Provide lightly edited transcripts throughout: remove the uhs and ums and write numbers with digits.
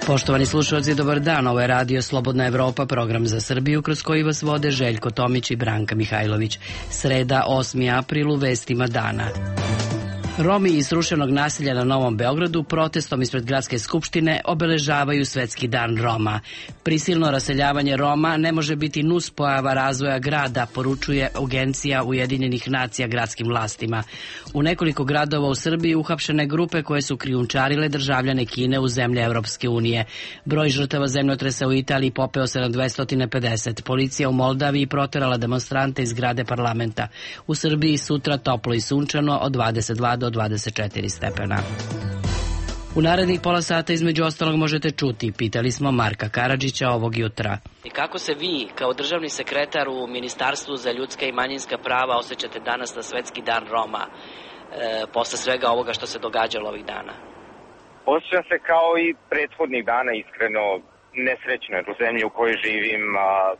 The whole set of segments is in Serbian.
Poštovani slušalci, dobar dan. Ovo je Radio Slobodna Evropa, program za Srbiju kroz koji vas vode Željko Tomić i Branka Mihajlović. Sreda, 8. april, u vestima dana. Romi iz srušenog naselja na Novom Beogradu protestom ispred Gradske skupštine obeležavaju Svetski dan Roma. Prisilno raseljavanje Roma ne može biti nuspojava razvoja grada, poručuje Agencija Ujedinjenih nacija gradskim vlastima. U nekoliko gradova u Srbiji uhapšene grupe koje su krijumčarile državljane Kine u zemlje Evropske unije. Broj žrtava zemljotresa u Italiji popeo se na 250. Policija u Moldaviji proterala demonstrante iz zgrade parlamenta. U Srbiji sutra toplo i sunčano od 22 do 24 stepena. U narednih pola sata između ostalog možete čuti, pitali smo Marka Karadžića ovog jutra. I kako se vi, kao državni sekretar u Ministarstvu za ljudska i manjinska prava, osjećate danas na Svetski dan Roma, posle svega ovoga što se događalo ovih dana? Osjećam se kao i prethodnih dana, iskreno nesrećno, jer u zemlji u kojoj živim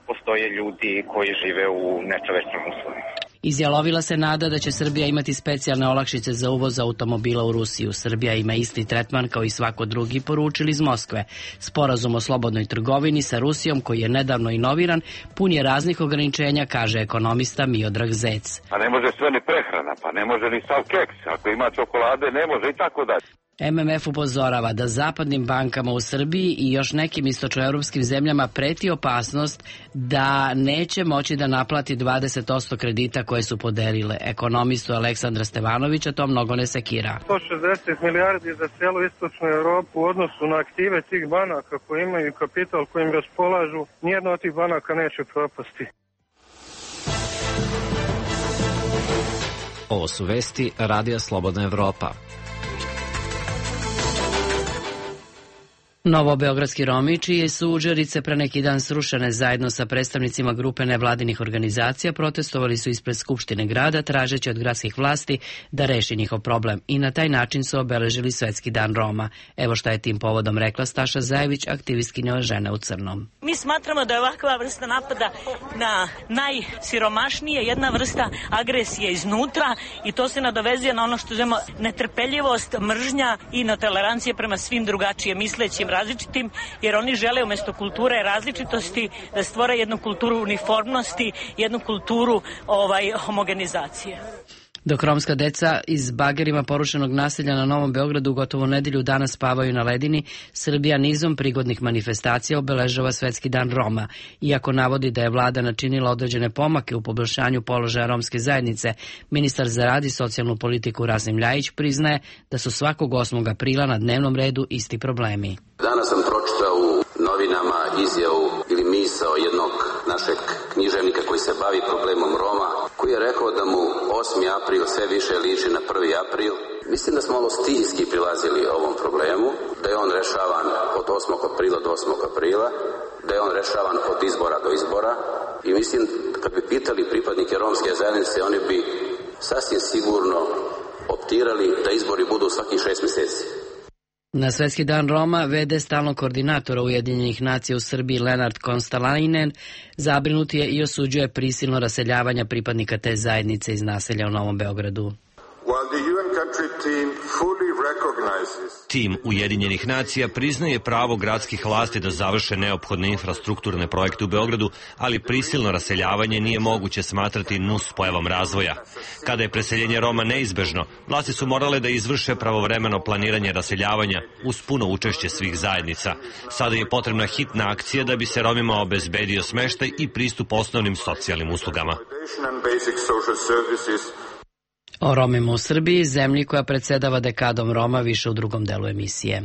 postoje ljudi koji žive u nečovečnim uslovima. Izjalovila se nada da će Srbija imati specijalne olakšice za uvoz automobila u Rusiju. Srbija ima isti tretman kao i svako drugi, poručili iz Moskve. Sporazum o slobodnoj trgovini sa Rusijom, koji je nedavno inoviran, pun je raznih ograničenja, kaže ekonomista Miodrag Zec. Pa ne može sve ni prehrana, pa ne može ni sav keks. Ako ima čokolade, ne može i tako dalje. MMF upozorava da zapadnim bankama u Srbiji i još nekim istočnoevropskim zemljama preti opasnost da neće moći da naplati 20% kredita koje su podelile. Ekonomistu Aleksandra Stevanovića to mnogo ne sekira. 160 milijardi za cijelu istočnu Evropu u odnosu na aktive tih banaka koji imaju kapital kojim raspolažu, nijedna od tih banaka neće propasti. Ovo su vesti Radija Slobodna Evropa. Novobeogradski Romi, čije su udžerice pre neki dan srušene zajedno sa predstavnicima grupe nevladinih organizacija, protestovali su ispred Skupštine grada tražeći od gradskih vlasti da reši njihov problem i na taj način su obeležili Svetski dan Roma. Evo šta je tim povodom rekla Staša Zajević, aktivistkinja Žene u crnom. Mi smatramo da je ovakva vrsta napada na najsiromašnije jedna vrsta agresije iznutra i to se nadovezuje na ono što zovemo netrpeljivost, mržnja i netolerancije prema svim drugačije mislećim različitim, jer oni žele umjesto kulture različitosti da stvore jednu kulturu uniformnosti, jednu kulturu homogenizacije. Dok romska deca iz bagerima porušenog naselja na Novom Beogradu gotovo nedelju dana spavaju na ledini, Srbija nizom prigodnih manifestacija obeležava Svetski dan Roma. Iako navodi da je vlada načinila određene pomake u poboljšanju položaja romske zajednice, ministar za rad i socijalnu politiku Rasim Ljajić priznaje da su svakog 8. aprila na dnevnom redu isti problemi. Danas sam pročitao u novinama izjavu ili misao jednog našeg književnika koji se bavi problemom Roma, koji je rekao da mu 8. april sve više liči na 1. april. Mislim da smo malo stihijski prilazili ovom problemu, da je on rešavan od 8. aprila do 8. aprila, da je on rešavan od izbora do izbora i mislim kad bi pitali pripadnike romske zajednice, oni bi sasvim sigurno optirali da izbori budu svakih 6 mjeseci. Na Svetski dan Roma v.d. stalnog koordinatora Ujedinjenih nacija u Srbiji Lenard Konstalainen zabrinut je i osuđuje prisilno raseljavanje pripadnika te zajednice iz naselja u Novom Beogradu. Tim Ujedinjenih nacija priznaje pravo gradskih vlasti da završe neophodne infrastrukturne projekte u Beogradu, ali prisilno raseljavanje nije moguće smatrati nuspojavom razvoja. Kada je preseljenje Roma neizbežno, vlasti su morale da izvrše pravovremeno planiranje raseljavanja uz puno učešće svih zajednica. Sada je potrebna hitna akcija da bi se Romima obezbedio smeštaj i pristup osnovnim socijalnim uslugama. O Romima u Srbiji, zemlji koja predsedava dekadom Roma, više u drugom delu emisije.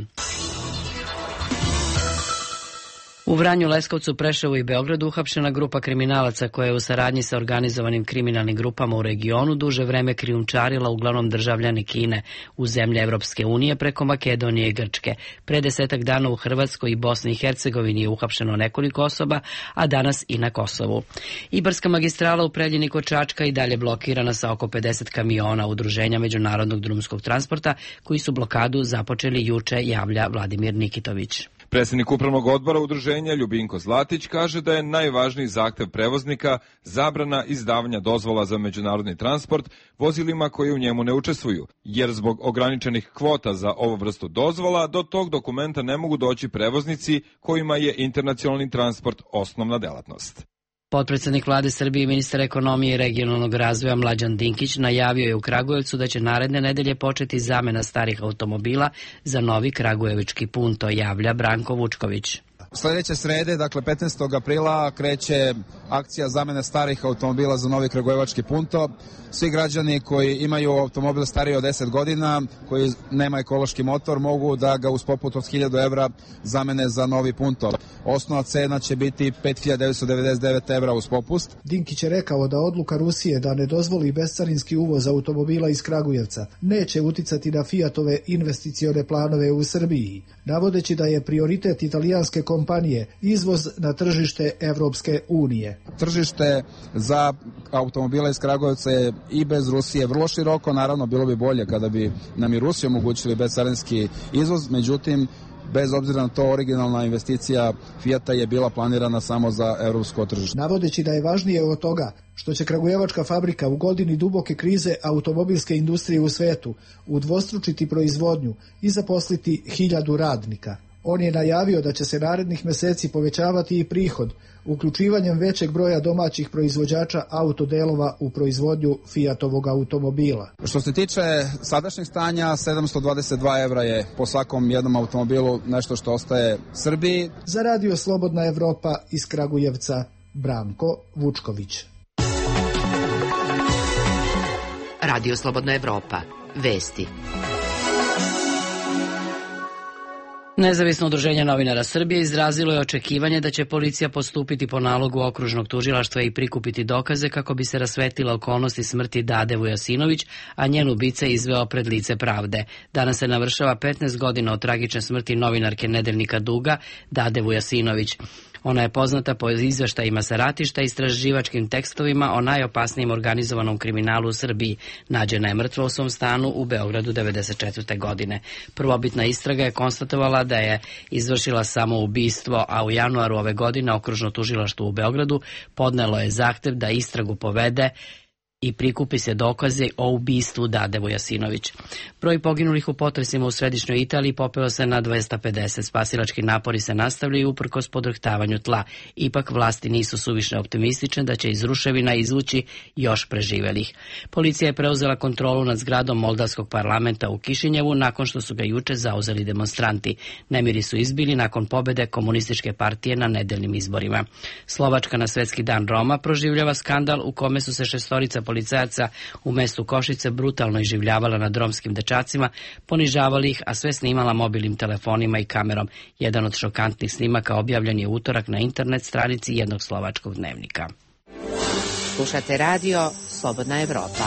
U Vranju, Leskovcu, Preševu i Beogradu uhapšena grupa kriminalaca koja je u saradnji sa organizovanim kriminalnim grupama u regionu duže vreme krijumčarila uglavnom državljane Kine u zemlje Evropske unije preko Makedonije i Grčke. Pre 10 dana u Hrvatskoj i Bosni i Hercegovini je uhapšeno nekoliko osoba, a danas i na Kosovu. Ibarska magistrala u Preljini kod Čačka i dalje blokirana sa oko 50 kamiona Udruženja međunarodnog drumskog transporta koji su blokadu započeli juče, javlja Vladimir Nikitović. Predsjednik upravnog odbora udruženja Ljubinko Zlatić kaže da je najvažniji zahtev prevoznika zabrana izdavanja dozvola za međunarodni transport vozilima koji u njemu ne učestvuju, jer zbog ograničenih kvota za ovu vrstu dozvola do tog dokumenta ne mogu doći prevoznici kojima je internacionalni transport osnovna delatnost. Potpredsednik vlade Srbije i ministar ekonomije i regionalnog razvoja Mlađan Dinkić najavio je u Kragujevcu da će naredne nedelje početi zamena starih automobila za novi kragujevički punto, javlja Branko Vučković. Sljedeće srede, dakle 15. aprila, kreće akcija zamene starih automobila za novi kragujevački punto. Svi građani koji imaju automobil stariji od 10 godina, koji nema ekološki motor, mogu da ga uz poput od 1000 evra zamene za novi punto. Osnovna cena će biti 5.999 evra uz popust. Dinkić je rekao da odluka Rusije da ne dozvoli bescarinski uvoz automobila iz Kragujevca neće uticati na Fiatove investicione planove u Srbiji, navodeći da je prioritet italijanske kompanije izvoz na tržište Evropske unije. Tržište za automobile iz Kragujevca je i bez Rusije vrlo široko, naravno bilo bi bolje kada bi nam i Rusija omogućili bescarinski izvoz, međutim bez obzira na to originalna investicija Fijata je bila planirana samo za evropsko tržište. Navodeći da je važnije od toga što će kragujevačka fabrika u godini duboke krize automobilske industrije u svetu udvostručiti proizvodnju i zaposliti 1000 radnika. On je najavio da će se narednih meseci povećavati i prihod uključivanjem većeg broja domaćih proizvođača autodelova u proizvodnju Fiatovog automobila. Što se tiče sadašnjeg stanja, 722 evra je po svakom jednom automobilu nešto što ostaje Srbiji. Za Radio Slobodna Evropa iz Kragujevca, Branko Vučković. Radio Slobodna Evropa. Vesti. Nezavisno udruženje novinara Srbije izrazilo je očekivanje da će policija postupiti po nalogu okružnog tužilaštva i prikupiti dokaze kako bi se rasvetlila okolnosti smrti Dade Vujasinović, a njen ubica izveo pred lice pravde. Danas se navršava 15 godina od tragične smrti novinarke nedeljnika Duga, Dade Vujasinović. Ona je poznata po izveštajima sa ratišta i istraživačkim tekstovima o najopasnijem organizovanom kriminalu u Srbiji. Nađena je mrtva u svom stanu u Beogradu 1994. godine. Prvobitna istraga je konstatovala da je izvršila samoubistvo, a u januaru ove godine okružno tužilaštvo u Beogradu podnelo je zahtev da istragu povede i prikupi se dokaze o ubistvu Dade Vujasinović. Broj poginulih u potresima u središnjoj Italiji popeo se na 250. Spasilački napori se nastavljaju uprkos podrhtavanju tla. Ipak vlasti nisu suviše optimistične da će iz ruševina izvući još preživelih. Policija je preuzela kontrolu nad zgradom Moldavskog parlamenta u Kišinjevu nakon što su ga juče zauzeli demonstranti. Nemiri su izbili nakon pobede komunističke partije na nedeljnim izborima. Slovačka na Svetski dan Roma proživljava skandal u kome su se 6 policajaca u mestu Košice brutalno iživljavala nad romskim dečacima, ponižavali ih, a sve snimala mobilnim telefonima i kamerom. Jedan od šokantnih snimaka objavljen je utorak na internet stranici jednog slovačkog dnevnika. Slušate radio Slobodna Evropa.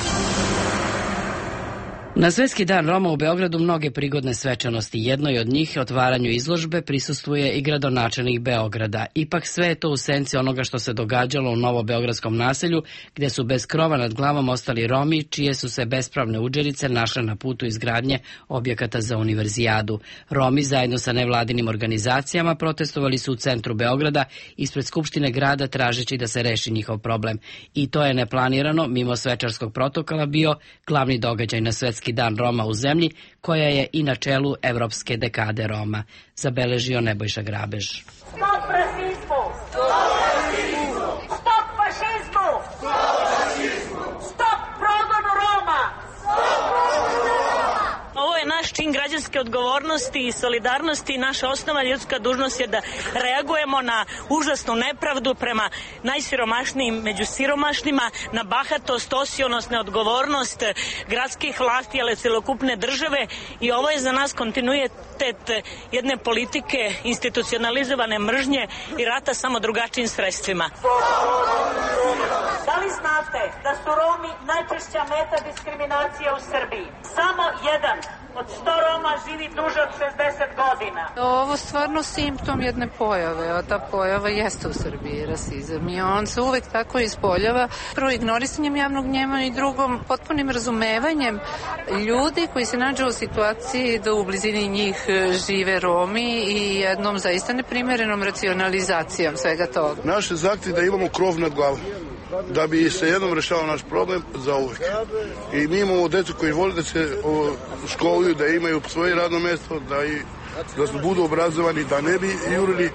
Na Svetski dan Roma u Beogradu mnoge prigodne svečanosti. Jednoj od njih, otvaranju izložbe, prisustvuje i gradonačelnik Beograda. Ipak sve je to u senci onoga što se događalo u novobeogradskom naselju, gde su bez krova nad glavom ostali Romi, čije su se bespravne udžerice našle na putu izgradnje objekata za univerzijadu. Romi zajedno sa nevladinim organizacijama protestovali su u centru Beograda ispred Skupštine grada tražeći da se reši njihov problem. I to je neplanirano, mimo svečarskog protokola, bio glavni događaj na Svetski dan Roma u zemlji, koja je i na čelu Evropske dekade Roma, zabeležio Nebojša Grabež. Stop rasizmu! Stop fašizmu! Stop progonu Roma! Ovo je naš čin građanske odgovornosti i solidarnosti. Naša osnovna ljudska dužnost je da reagujemo na užasnu nepravdu prema najsiromašnijim među siromašnima, na bahatost, osionost, neodgovornost gradskih vlasti, ali celokupne države, i ovo je za nas kontinuitet jedne politike institucionalizovane mržnje i rata samo drugačijim sredstvima. Da li znate da su Romi najčešća meta diskriminacije u Srbiji? Samo jedan od 100 Roma živi duže od 60 godina. Ovo stvarno simptom jedne pojave, a ta pojava jeste u Srbiji rasizam i on se uvek tako ispoljava. Prvo ignorisanjem javnog mnjenja i drugom potpunim razumevanjem ljudi koji se nađu u situaciji da u blizini njih žive Romi i jednom zaista neprimerenom racionalizacijom svega toga. Naš je zahtjev da imamo krov nad glavom, da bi se jednom rešao naš problem za uvek. I mi imamo decu koji vole da se školuju, da imaju svoje radno mesto, da budu obrazovani, da ne bi jurili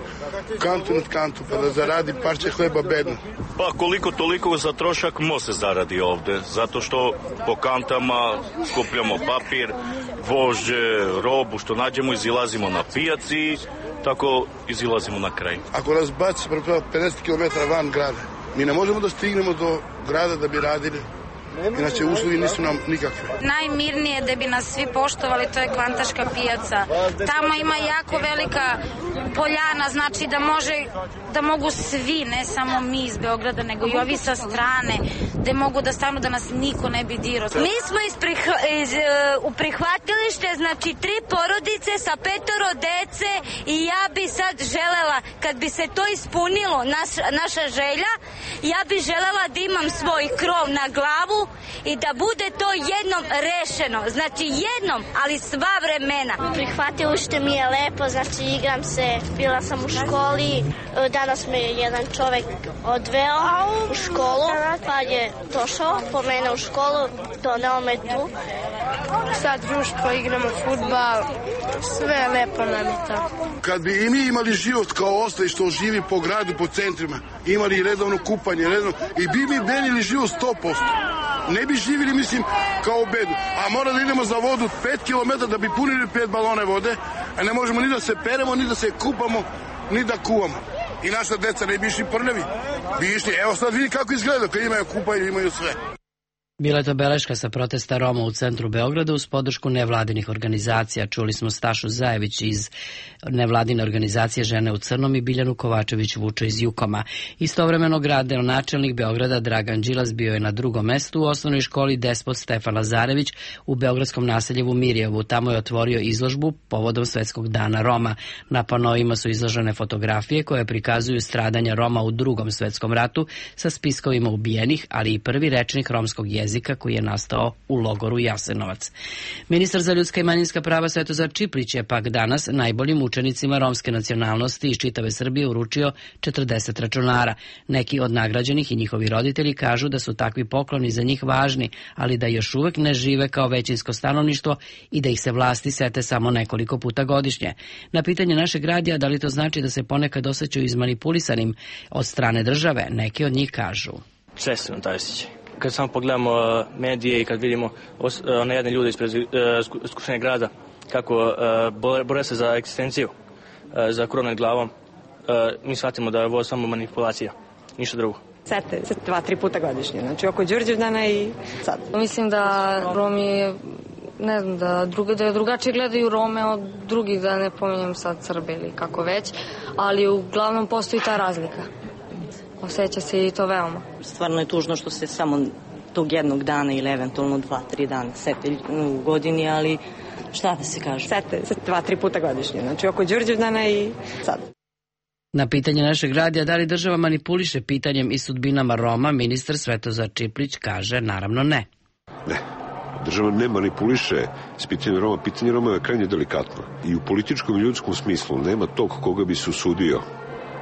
kantu nad kantu, pa da zaradi parče hleba bedno. Pa koliko toliko za trošak može zaradi ovde, zato što po kantama skupljamo papir, vožđe, robu, što nađemo, izilazimo na pijaci, tako izilazimo na kraj. Ako nas baci 50 km van grada, mi ne možemo da stignemo do grada da bi radili, inače uslovi nisu nam nikakve. Najmirnije da bi nas svi poštovali, to je Kvantaška pijaca. Tamo ima jako velika poljana, znači da mogu svi, ne samo mi iz Beograda, nego i ovi sa strane, da mogu da stanu, da nas niko ne bi dirao. Mi smo u prihvatilište, znači 3 porodice sa 5 dece i ja bi sad želela, kad bi se to ispunilo, naša želja, ja bi želela da imam svoj krov na glavu i da bude to jednom rešeno. Znači jednom, ali sva vremena. Prihvatilište mi je lepo, znači igram se, bila sam u školi, danas me je jedan čovek odveo u školu, pa je došao po mene u školu, doneo me tu. Sad društvo, igramo fudbal, sve lepo nam je to. Kad bi i mi imali život kao ostali što živi po gradu, po centrima, imali redovno kupanje, i bi mi benili život 100%. Ne bi živjeli, mislim, kao u bedu. A mora da idemo za vodu 5 km da bi punili 5 balone vode, a ne možemo ni da se peremo, ni da se kupamo, ni da kuvamo. I naša deca ne bi išli prljavi. Bi išli, evo sad vidi kako izgleda kad imaju kupanje, imaju sve. Bila je to beleška sa protesta Roma u centru Beograda uz podršku nevladinih organizacija. Čuli smo Stašu Zajević iz nevladine organizacije Žene u crnom i Biljanu Kovačević-Vučo iz Jukoma. Istovremeno gradonačelnik Beograda Dragan Đilas bio je na drugom mestu u osnovnoj školi Despot Stefan Lazarević u beogradskom naseljevu Mirjevu. Tamo je otvorio izložbu povodom Svetskog dana Roma. Na panoima su izložene fotografije koje prikazuju stradanja Roma u Drugom svetskom ratu sa spiskovima ubijenih, ali i prvi rečnik romskog jezika koji je nastao u logoru Jasenovac. Ministar za ljudska i manjinska prava Svetozar Čiplić je pak danas najboljim učenicima romske nacionalnosti iz čitave Srbije uručio 40 računara. Neki od nagrađenih i njihovi roditelji kažu da su takvi pokloni za njih važni, ali da još uvek ne žive kao većinsko stanovništvo i da ih se vlasti sete samo nekoliko puta godišnje. Na pitanje našeg radija da li to znači da se ponekad osjećaju izmanipulisanim od strane države, neki od njih kažu. Često nam taj osjećaj. Kad samo pogledamo medije i kad vidimo one jedne ljude ispred Skupštine grada kako bore se za egzistenciju, za krov nad glavom, mi shvatimo da je ovo samo manipulacija, ništa drugo. Sete 2-3 puta godišnje, znači oko Đurđevdana i sad. Mislim da Romi, ne znam, da drugačije gledaju Rome od drugih, da ne pominjem sad Srbe ili kako već, ali uglavnom postoji ta razlika. Osjeća se i to veoma. Stvarno je tužno što se samo tog jednog dana ili eventualno 2-3 dana sete u godini, ali šta da se kaže? Sete 2-3 puta godišnje, znači oko Đurđevdana i sad. Na pitanje našeg radija da li država manipuliše pitanjem i sudbinama Roma, ministar Svetozar Čiplić kaže naravno ne. Ne. Država ne manipuliše s pitanjem Roma. Pitanje Roma je krajnje delikatno. I u političkom i ljudskom smislu nema tog koga bi se usudio,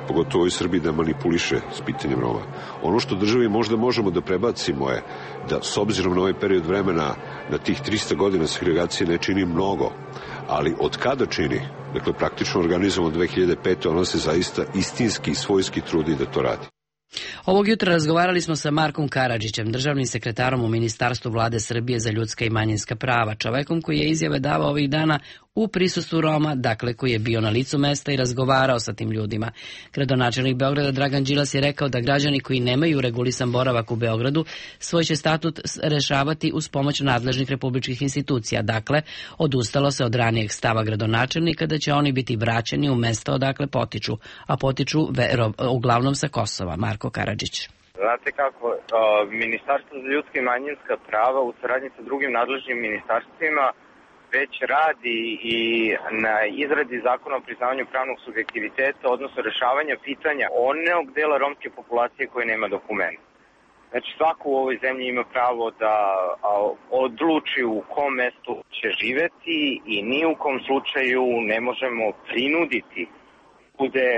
pogotovo i Srbiji, da manipuliše s pitanjem Roma. Ono što državi možda možemo da prebacimo je da s obzirom na ovaj period vremena, na tih 300 godina segregacije ne čini mnogo, ali od kada čini, dakle praktično organizujemo od 2005. ona se zaista istinski i svojski trudi da to radi. Ovog jutra razgovarali smo sa Markom Karadžićem, državnim sekretarom u Ministarstvu vlade Srbije za ljudska i manjinska prava, čovekom koji je izjave davao ovih dana u prisustvu Roma, dakle koji je bio na licu mesta i razgovarao sa tim ljudima. Gradonačelnik Beograda Dragan Đilas je rekao da građani koji nemaju regulisan boravak u Beogradu svoj će statut rešavati uz pomoć nadležnih republičkih institucija. Dakle, odustalo se od ranijeg stava gradonačelnika da će oni biti vraćeni u mesta odakle potiču, a potiču uglavnom sa Kosova. Marko Karadžić. Znate kako, Ministarstvo za ljudska i manjinska prava u saradnji sa drugim nadležnim ministarstvima već radi i na izradi zakona o priznavanju pravnog subjektiviteta, odnosno rešavanja pitanja onog dela romske populacije koji nema dokumenta. Znači, svako u ovoj zemlji ima pravo da odluči u kom mestu će živeti i ni u kom slučaju ne možemo prinuditi bude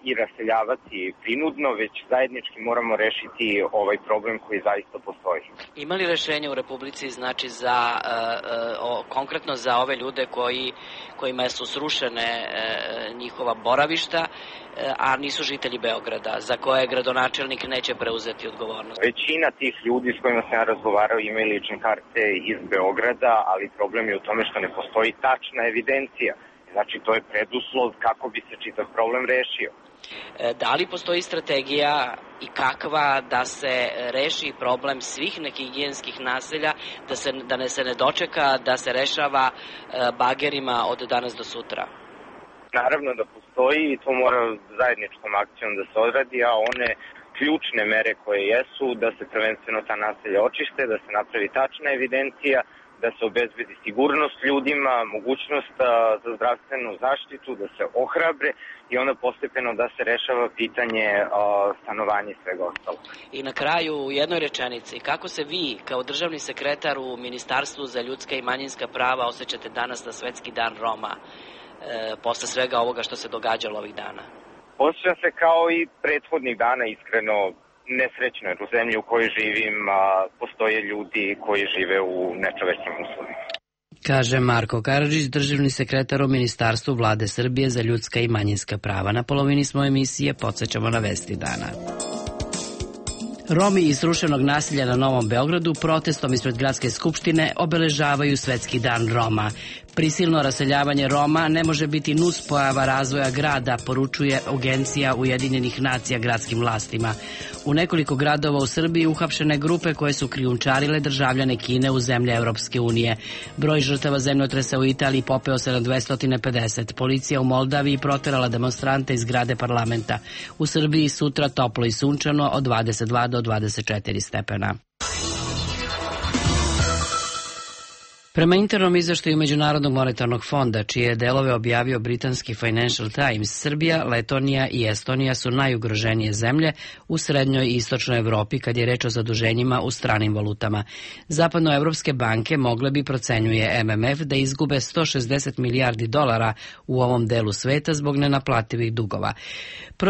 i raseljavati prinudno, već zajednički moramo rešiti ovaj problem koji zaista postoji. Ima li rešenje u Republici, znači, konkretno za ove ljude kojima su srušene njihova boravišta, a nisu žitelji Beograda, za koje gradonačelnik neće preuzeti odgovornost? Većina tih ljudi s kojima sam ja razgovarao imaju lične karte iz Beograda, ali problem je u tome što ne postoji tačna evidencija. Znači, to je preduslov kako bi se čitav problem rešio. Da li postoji strategija i kakva da se reši problem svih nehigijenskih naselja, da se ne dočeka da se rešava bagerima od danas do sutra? Naravno da postoji i to mora zajedničkom akcijom da se odradi, a one ključne mere koje jesu da se prvenstveno ta naselja očiste, da se napravi tačna evidencija, da se obezbedi sigurnost ljudima, mogućnost za zdravstvenu zaštitu, da se ohrabre i onda postepeno da se rešava pitanje stanovanja i svega ostalog. I na kraju u jednoj rečenici, kako se vi kao državni sekretar u Ministarstvu za ljudska i manjinska prava osjećate danas na Svetski dan Roma, posle svega ovoga što se događalo ovih dana? Osjećam se kao i prethodnih dana, iskreno nesrećno, jer u zemlji u kojoj živim postoje ljudi koji žive u nečovečnim uslovima. Kaže Marko Karadžić, državni sekretar u Ministarstvu Vlade Srbije za ljudska i manjinska prava. Na polovini smo emisije, podsećamo na vesti dana. Romi iz srušenog naselja na Novom Beogradu protestom ispred Gradske skupštine obeležavaju Svetski dan Roma. Prisilno raseljavanje Roma ne može biti nuspojava razvoja grada, poručuje Agencija Ujedinjenih nacija gradskim vlastima. U nekoliko gradova u Srbiji uhapšene grupe koje su krijumčarile državljane Kine u zemlje Evropske unije. Broj žrtava zemljotresa u Italiji popeo se na 250. Policija u Moldaviji proterala demonstrante iz zgrade parlamenta. U Srbiji sutra toplo i sunčano od 22 do 24 stepena. Prema internom izveštaju Međunarodnog monetarnog fonda, čije delove objavio britanski Financial Times, Srbija, Letonija i Estonija su najugroženije zemlje u srednjoj i istočnoj Evropi kad je reč o zaduženjima u stranim valutama. Zapadnoevropske banke mogle bi, procenjuje MMF, da izgube 160 milijardi dolara u ovom delu sveta zbog nenaplativih dugova.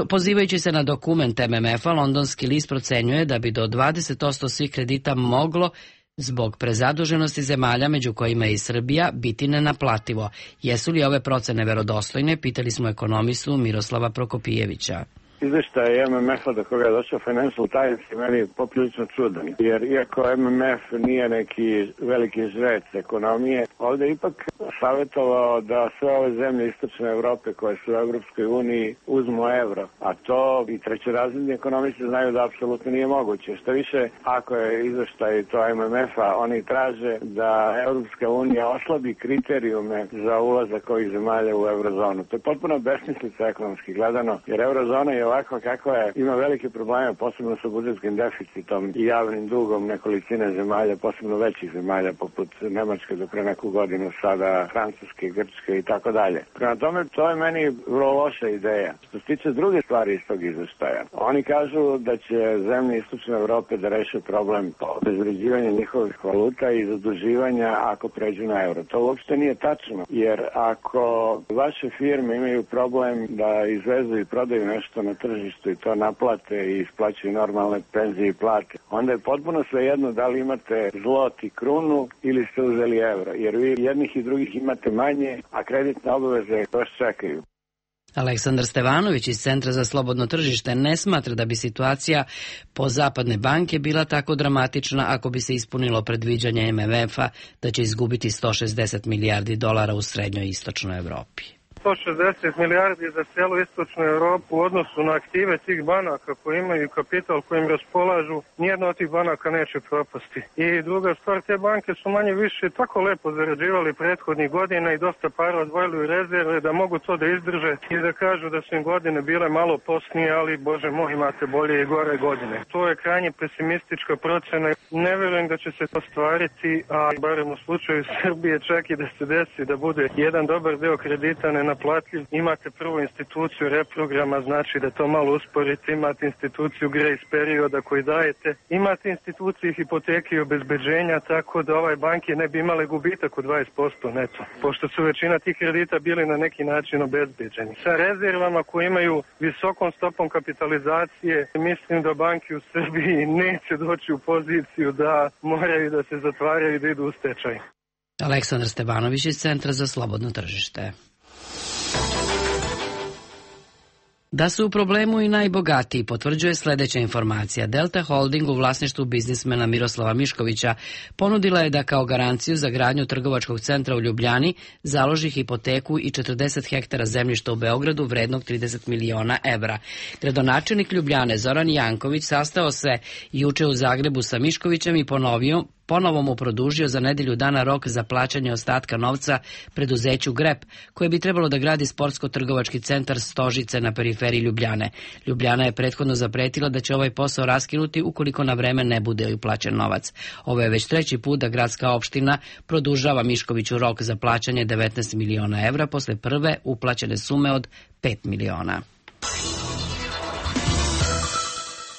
Pozivajući se na dokument MMF-a, londonski list procenjuje da bi do 20% svih kredita moglo zbog prezaduženosti zemalja, među kojima je i Srbija, biti nenaplativo. Jesu li ove procene verodostojne? Pitali smo ekonomistu Miroslava Prokopijevića. Izveštaj MMF-a do koga je došao Financial Times je meni poprilično čudan, jer iako MMF nije neki veliki žrec ekonomije, ovdje je ipak savjetovao da sve ove zemlje istočne Evrope koje su u Evropskoj uniji uzmu evro, a to i trećerazredni ekonomisti znaju da apsolutno nije moguće. Što više, ako je izveštaj to MMF-a, oni traže da Evropska unija oslabi kriterijume za ulazak ovih zemalja u eurozonu. To je potpuno besmislica ekonomski gledano, jer eurozona je ovako kako je, ima velike probleme, posebno sa budžetskim deficitom i javnim dugom nekolicine zemalja, posebno većih zemalja poput Nemačke do pre neku godinu, sada Francuske, Grčke i tako dalje. Prema tome, to je meni vrlo loša ideja. Što se tiče druge stvari iz tog izveštaja, oni kažu da će zemlje istočne Evrope da reše problem obezvređivanja njihovih valuta i zaduživanja ako pređu na euro. To uopšte nije tačno, jer ako vaše firme imaju problem da izvezu i prodaju nešto na tržištu i to naplate i isplaćaju normalne penzije i plate, onda je potpuno svejedno da li imate zlot i krunu ili ste uzeli evro, jer vi jednih i drugih imate manje, a kreditne obaveze još čekaju. Aleksandar Stevanović iz Centra za slobodno tržište ne smatra da bi situacija po zapadne banke bila tako dramatična ako bi se ispunilo predviđanje MMF-a da će izgubiti 160 milijardi dolara u srednjoj i istočnoj Evropi. 160 milijardi za cijelu istočnu Europu u odnosu na aktive tih banaka koji imaju kapital kojim raspolažu, nijedna od tih banaka neće propasti. I druga stvar, te banke su manje više tako lepo zarađivali prethodnih godina i dosta para odvojili u rezerve da mogu to da izdrže i da kažu da su im godine bile malo posnije, ali bože moj, imate bolje i gore godine. To je krajnje pesimistička procena. Ne verujem da će se to stvariti, a barem u slučaju Srbije čak i da se desi da bude jedan dobar deo kredita nenaplatljiv. Imate prvu instituciju reprograma, znači da to malo usporite, imate instituciju grace perioda koji dajete, imate instituciju hipoteke i obezbeđenja, tako da banke ne bi imale gubitak od 20% neto, pošto su većina tih kredita bili na neki način obezbeđeni. Sa rezervama koje imaju visokom stopom kapitalizacije, mislim da banke u Srbiji neće doći u poziciju da moraju da se zatvaraju i da idu u stečaj. Aleksandar Stevanović iz Centra za slobodno tržište. Da su u problemu i najbogatiji potvrđuje sljedeća informacija. Delta Holding u vlasništvu biznismena Miroslava Miškovića ponudila je da kao garanciju za gradnju trgovačkog centra u Ljubljani založi hipoteku i 40 hektara zemljišta u Beogradu vrednog 30 miliona evra. Gradonačelnik Ljubljane Zoran Janković sastao se juče u Zagrebu sa Miškovićem i ponovo mu produžio za nedelju dana rok za plaćanje ostatka novca preduzeću Grep, koje bi trebalo da gradi sportsko-trgovački centar Stožice na periferiji Ljubljane. Ljubljana je prethodno zapretila da će ovaj posao raskinuti ukoliko na vreme ne bude uplaćen novac. Ovo je već treći put da gradska opština produžava Miškoviću rok za plaćanje 19 miliona evra posle prve uplaćene sume od 5 miliona.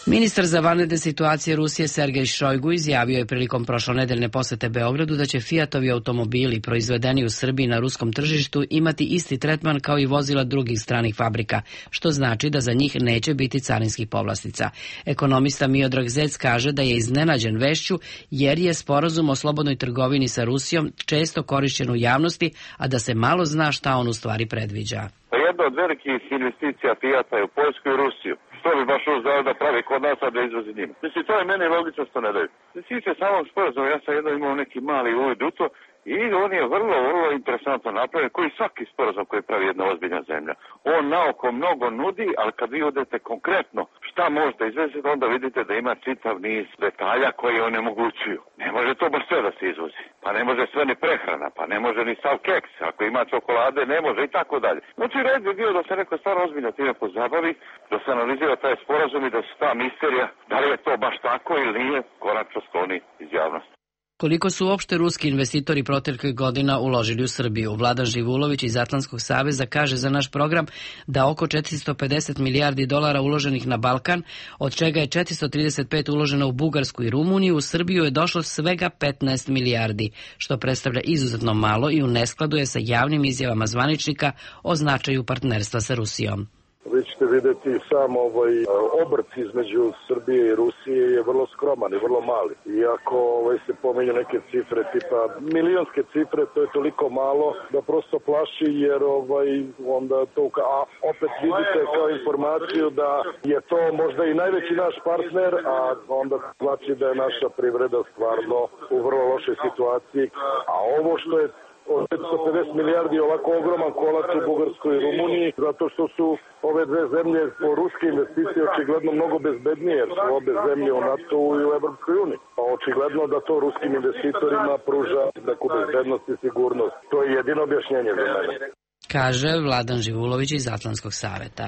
Ministar za vanredne situacije Rusije Sergej Šojgu izjavio je prilikom prošlonedeljne posete Beogradu da će Fiatovi automobili proizvedeni u Srbiji na ruskom tržištu imati isti tretman kao i vozila drugih stranih fabrika, što znači da za njih neće biti carinskih povlastica. Ekonomista Miodrag Zec kaže da je iznenađen vešću jer je sporazum o slobodnoj trgovini sa Rusijom često korišćen u javnosti, a da se malo zna šta on u stvari predviđa. Jedna od velikih investicija Fijata je u Poljsku i Rusiju. Što bi baš uzeo da pravi kod nas, a da izvozi njima? Mislim, to je meni logično što ne daju. Sviđa samog sporazuma, ja sam jedno imao neki mali uvid u to i on je vrlo interesantno napravljen, koji svaki sporazum koji pravi jedna ozbiljna zemlja. On naoko mnogo nudi, ali kad vi odete konkretno šta možete izveziti, onda vidite da ima čitav niz detalja koji onemogućuju. Ne može to baš sve da se izvozi. Pa ne može sve ni prehrana, pa ne može ni sav keks. Ako ima čokolade, ne može i tako dalje. Znači, red bi bio da se neko stvarno ozbiljno time pozabavi, da se analizira taj sporazum i da se ta misterija, da li je to baš tako ili nije, konačno skloni iz javnosti. Koliko su uopšte ruski investitori proteklih godina uložili u Srbiju? Vladan Živulović iz Atlantskog saveza kaže za naš program da oko 450 milijardi dolara uloženih na Balkan, od čega je 435 uloženo u Bugarsku i Rumuniju, u Srbiju je došlo svega 15 milijardi, što predstavlja izuzetno malo i u neskladu je sa javnim izjavama zvaničnika o značaju partnerstva sa Rusijom. Vi ćete vidjeti sam obrt između Srbije i Rusije je vrlo skroman i vrlo mali. Iako se pominju neke cifre tipa milionske cifre, to je toliko malo da prosto plaši jer onda to, a opet vidite kao informaciju da je to možda i najveći naš partner, a onda znači da je naša privreda stvarno u vrlo lošoj situaciji. A ovo što je od 550 milijardi ovako ogroman kolač u Bugarskoj i Rumuniji, zato što su ove dve zemlje po ruske investicije očigledno mnogo bezbednije, jer su obe zemlje u NATO i u Evropskoj uniji. Pa očigledno da to ruskim investitorima pruža neku bezbednost i sigurnost. To je jedino objašnjenje za mene. Kaže Vladan Živulović iz Atlantskog saveta.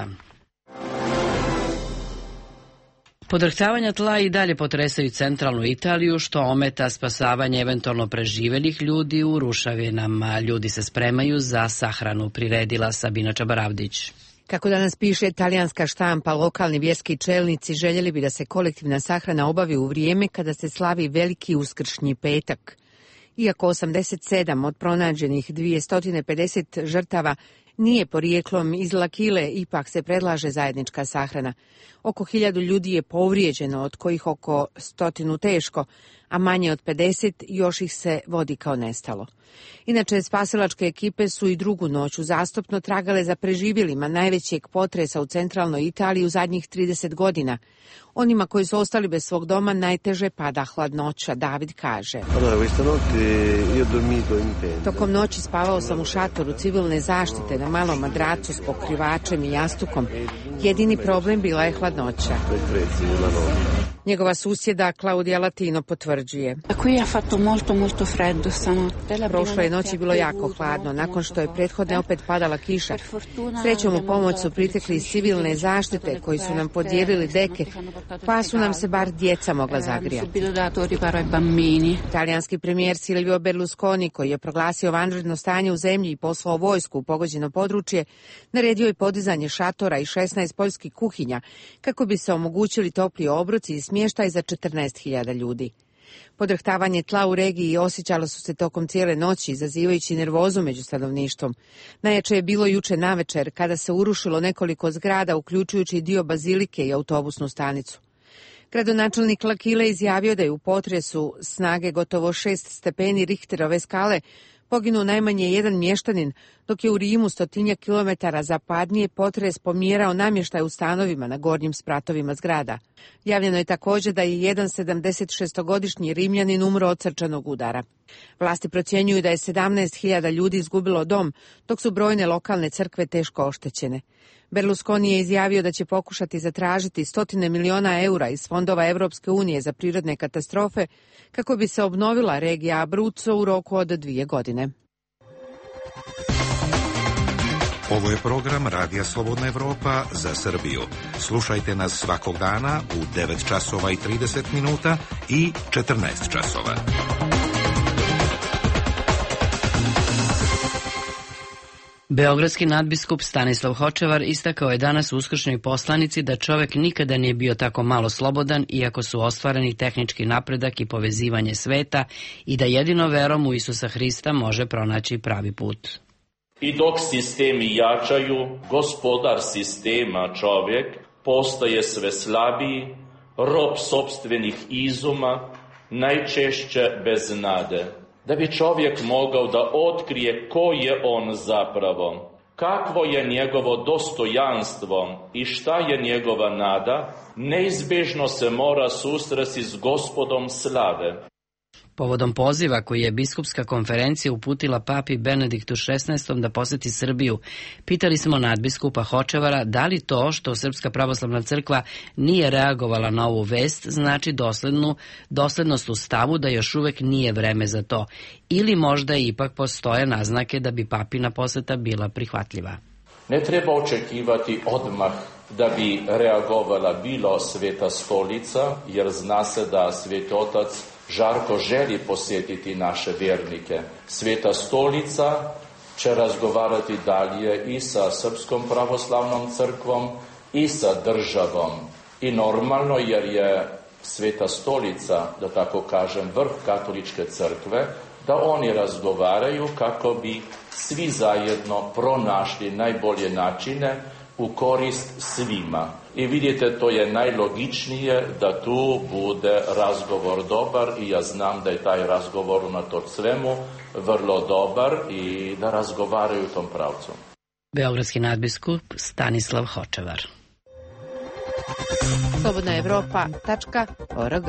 Podrhtavanja tla i dalje potresaju centralnu Italiju, što ometa spasavanje eventualno preživelih ljudi u rušavinama. Ljudi se spremaju za sahranu, priredila Sabina Čabaravdić. Kako danas piše talijanska štampa, lokalni vjerski čelnici željeli bi da se kolektivna sahrana obavi u vrijeme kada se slavi veliki uskršnji petak. Iako 87 od pronađenih 250 žrtava nije porijeklom iz L'Aquile, ipak se predlaže zajednička sahrana. Oko 1000 ljudi je povrijeđeno, od kojih oko 100 teško, a manje od 50 još ih se vodi kao nestalo. Inače, spasilačke ekipe su i drugu noć uzastopno tragale za preživjelima najvećeg potresa u centralnoj Italiji u zadnjih 30 godina. Onima koji su ostali bez svog doma najteže pada hladnoća, David kaže. Tokom noći spavao sam u šatoru civilne zaštite na malom madracu s pokrivačem i jastukom. Jedini problem bila je hladnoća. Njegova susjeda Claudia Latino potvrđuje. Prošle noći bilo jako hladno, nakon što je prethodne opet padala kiša. Srećom u pomoć su pritekli iz civilne zaštite koji su nam podijelili deke, pa su nam se bar djeca mogla zagrijati. Italijanski premijer Silvio Berlusconi, koji je proglasio vanredno stanje u zemlji i poslao vojsku u pogođeno područje, naredio je podizanje šatora i 16 poljskih kuhinja kako bi se omogućili topli obroci i smještaj za 14.000 ljudi. Podrhtavanje tla u regiji osjećalo su se tokom cijele noći, izazivajući nervozu među stanovništvom. Najjače je bilo juče navečer, kada se urušilo nekoliko zgrada, uključujući dio bazilike i autobusnu stanicu. Gradonačelnik L'Aquila izjavio da je u potresu snage gotovo 6 stepeni Richterove skale poginuo najmanje jedan mještanin, dok je u Rimu 100 kilometara zapadnije potres pomjerao namještaj u stanovima na gornjim spratovima zgrada. Javljeno je također da je jedan 76-godišnji Rimljanin umro od srčanog udara. Vlasti procjenjuju da je 17.000 ljudi izgubilo dom, dok su brojne lokalne crkve teško oštećene. Berlusconi je izjavio da će pokušati zatražiti 100 miliona eura iz fondova Europske unije za prirodne katastrofe kako bi se obnovila regija Abruzzo u roku od 2 godine. Ovo je program Radija Slobodna Evropa za Srbiju. Slušajte nas svakog dana u 9 časova i 30 minuta i 14 časova. Beogradski nadbiskup Stanislav Hočevar istakao je danas u uskršnjoj poslanici da čovek nikada nije bio tako malo slobodan, iako su ostvareni tehnički napredak i povezivanje sveta, i da jedino verom u Isusa Hrista može pronaći pravi put. I dok sistemi jačaju, gospodar sistema čovjek postaje sve slabiji, rob sopstvenih izuma, najčešće bez nade. Da bi čovjek mogao da otkrije ko je on zapravo, kakvo je njegovo dostojanstvo i šta je njegova nada, neizbježno se mora susresti s Gospodom slave. Povodom poziva koji je biskupska konferencija uputila papi Benediktu XVI da poseti Srbiju, pitali smo nadbiskupa Hočevara da li to što Srpska pravoslavna crkva nije reagovala na ovu vest znači doslednost u stavu da još uvek nije vreme za to, ili možda ipak postoje naznake da bi papina poseta bila prihvatljiva. Ne treba očekivati odmah da bi reagovala bilo Sveta stolica, jer zna se da Sveti Otac žarko želi posjetiti naše vjernike. Sveta stolica će razgovarati dalje i sa Srpskom pravoslavnom crkvom i sa državom. I normalno, jer je Sveta stolica, da tako kažem, vrh katoličke crkve, da oni razgovaraju kako bi svi zajedno pronašli najbolje načine u korist svima. I vidite, to je najlogičnije da tu bude razgovor dobar i ja znam da je taj razgovor unatoč svemu vrlo dobar i da razgovaraju u tom pravcu. Beogradski nadbiskup Stanislav Hočevar. slobodnaevropa.org.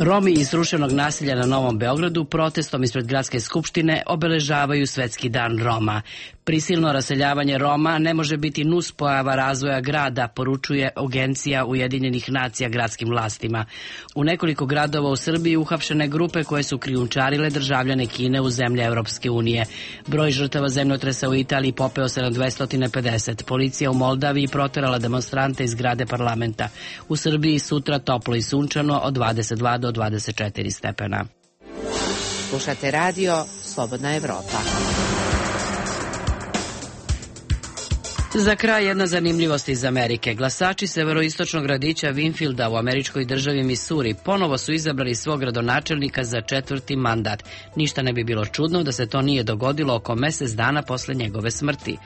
Romi iz ruševnog naselja na Novom Beogradu protestom ispred gradske skupštine obeležavaju Svetski dan Roma. Prisilno raseljavanje Roma ne može biti nuspojava razvoja grada, poručuje Agencija Ujedinjenih nacija gradskim vlastima. U nekoliko gradova u Srbiji uhapšene grupe koje su krijumčarile državljane Kine u zemlje Europske unije. Broj žrtava zemljotresa u Italiji popeo se na 250. Policija u Moldaviji proterala demonstrante iz zgrade parlamenta. U Srbiji sutra toplo i sunčano od 22 do 24 stepena. Slušate radio Slobodna Evropa. Za kraj jedna zanimljivost iz Amerike. Glasači severoistočnog gradića Winfielda u američkoj državi Missouri ponovo su izabrali svog gradonačelnika za 4. mandat. Ništa ne bi bilo čudno da se to nije dogodilo oko mesec dana posle njegove smrti.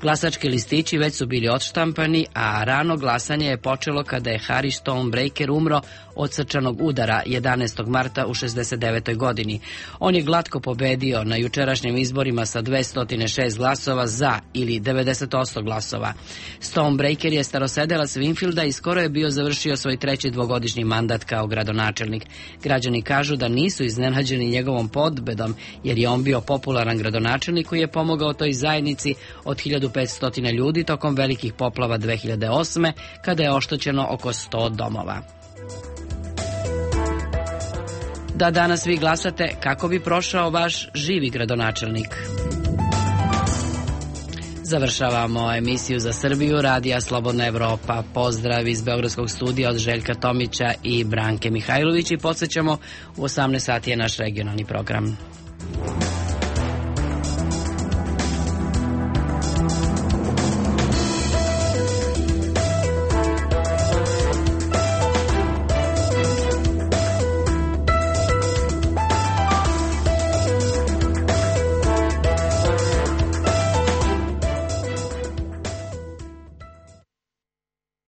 Glasački listići već su bili odštampani, a rano glasanje je počelo kada je Harry Stonebreaker umro od srčanog udara 11. marta u 69. godini. On je glatko pobedio na jučerašnjim izborima sa 206 glasova za ili 90% glasova. Stonebreaker je starosedelac Winfielda i skoro je bio završio svoj 3. dvogodišnji mandat kao gradonačelnik. Građani kažu da nisu iznenađeni njegovom pobedom, jer je on bio popularan gradonačelnik koji je pomogao toj zajednici od 1500 ljudi tokom velikih poplava 2008. kada je oštećeno oko 100 domova. Da danas vi glasate kako bi prošao vaš živi gradonačelnik. Završavamo emisiju za Srbiju Radija Slobodna Evropa. Pozdrav iz Beogradskog studija od Željka Tomića i Branke Mihajlović i podsjećamo u 18 sati je naš regionalni program.